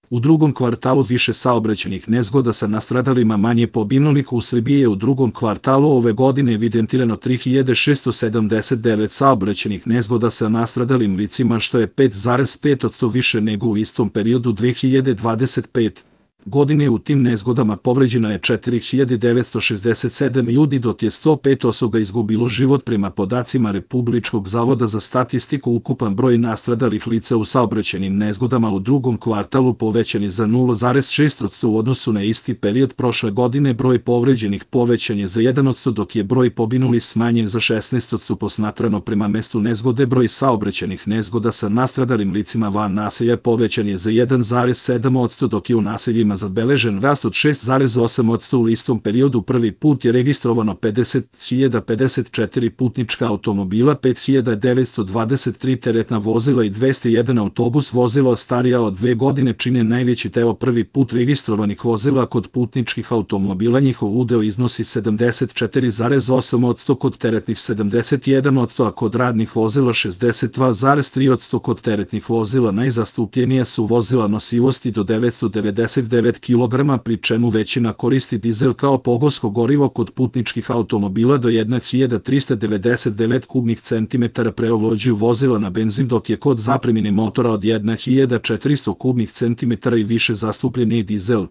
U drugom kvartalu više saobraćajnih nezgoda sa nastradalima, manje poginulih. U Srbiji je u drugom kvartalu ove godine evidentirano 3679 saobraćajnih nezgoda sa nastradalim licima, što je 5,5% više nego u istom periodu 2025. godine. U tim nezgodama povređeno je 4967 ljudi, dok je 105 osoba izgubilo život. Prema podacima Republičkog zavoda za statistiku, ukupan broj nastradalih lica u saobraćajnim nezgodama u drugom kvartalu povećan je za 0,6% u odnosu na isti period prošle godine. Broj povređenih povećan je za 1%, dok je broj poginulih smanjen za 16%. Posmatrano prema mestu nezgode, broj saobraćajnih nezgoda sa nastradalim licima van naselja povećan je za 1,7%, dok je u naseljima zabeležen rast od 6,8%. U istom periodu prvi put je registrovano 50.054 putnička automobila, 5.923 teretna vozila i 201 autobus. Vozila starija od 2 godine čine najveći deo prvi put registrovanih vozila. Kod putničkih automobila njihov udeo iznosi 74,8%, kod teretnih 71%, a kod radnih vozila 62,3%. Kod teretnih vozila najzastupljenija su vozila nosivosti do 999 kg, pri čemu većina koristi dizel kao pogonsko gorivo. Kod putničkih automobila do 1399 kubnih centimetara preovlađuju vozila na benzin, dok je kod zapremine motora od 1400 kubnih centimetara i više zastupljen i dizel.